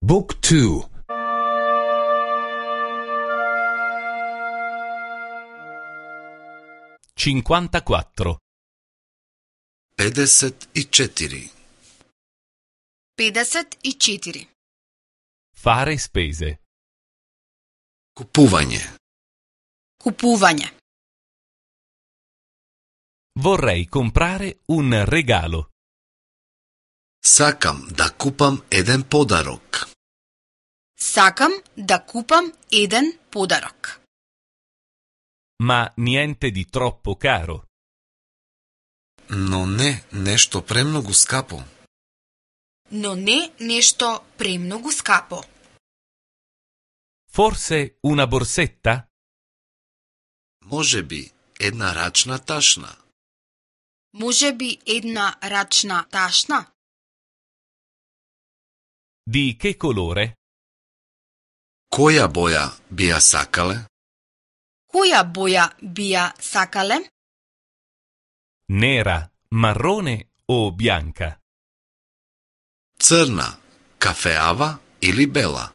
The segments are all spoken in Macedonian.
Book 2. 54. 54. 54. Fare spese. Купување. Купување. Vorrei comprare un regalo. Сакам да купам еден подарок. Сакам да купам еден подарок. Ma niente di troppo caro. Но не нешто премногу скапо. Но не нешто премногу скапо. Forse una borsetta? Можеби една рачна ташна. Можеби една рачна ташна? Di che colore? Која боја би ја сакале? Која боја би ја сакале? Nera, marrone o bianca? Црна, кафеава или бела?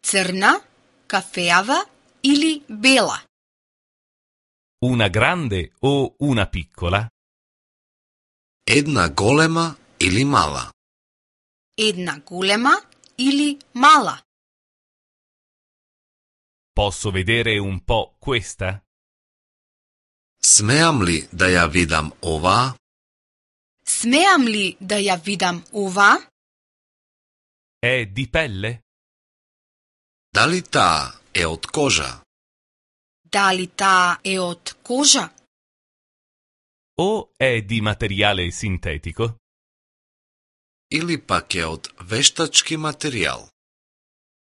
Црна, кафеава или бела? Una grande o una piccola? Една голема или мала? Една голема или мала? Posso vedere un po' questa? Смеам ли да ја видам оваа? Смеам ли да ја видам ова? È di pelle? Дали таа е од кожа? Дали таа е од кожа? O è di materiale sintetico? Или пак е од вештачки материјал?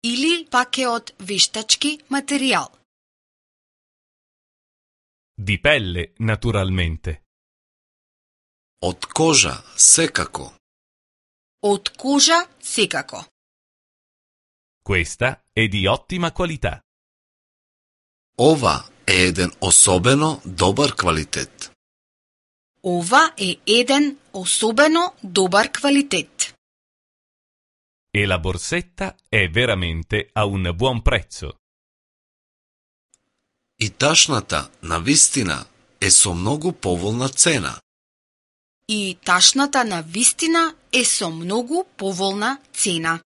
Или пак е од вештачки материјал? Di pelle, naturalmente. Од кожа, секако. Од кожа секако. Questa è di ottima qualità. Ова е еден особено добар квалитет. Ова е еден особено добар квалитет. E la borsetta è veramente a un buon prezzo. И ташната, навистина, е со многу поволна цена. И ташната на вистина е со многу поволна цена.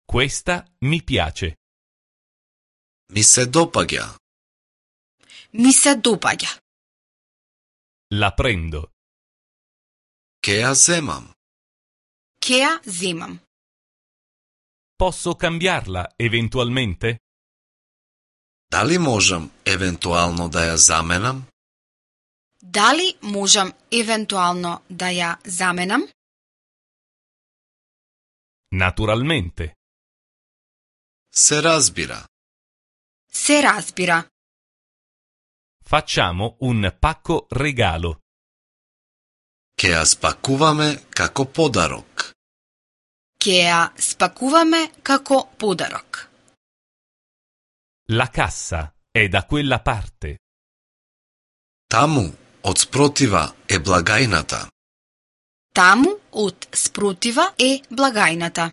Questa mi piace. Ми се допаѓа. Ми се допаѓа. La prendo. Ке ја земам. Ке ја земам. Posso cambiarla eventualmente? Дали можам евентуално да ја заменам? Дали можам евентуално да ја заменам? Naturalmente. Се разбира. Се разбира. Facciamo un pacco regalo. Ке ја спакуваме како подарок. Ке ја спакуваме како подарок. La cassa è da quella parte. Таму, од спротива, е благајната. Таму од спротива е благајната.